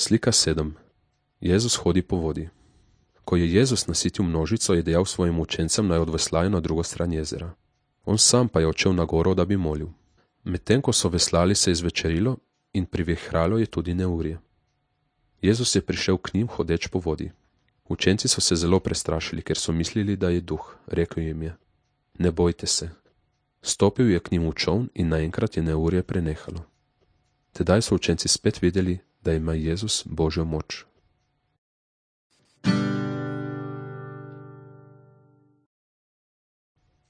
Slika 7. Jezus hodi po vodi. Ko je Jezus nasitil množico, je dejal svojim učencem, naj odveslajo na drugo stran jezera. On sam pa je odšel na goro, da bi molil. Medtem ko so veslali, se je zvečerilo in privihralo je tudi neurje. Jezus je prišel k njim hodeč po vodi. Učenci so se zelo prestrašili, ker so mislili, da je duh. Rekel jim je: Ne bojte se. Stopil je k njim v čoln in naenkrat je neurje prenehalo. Tedaj so učenci spet videli, da ima Jezus Božjo moč.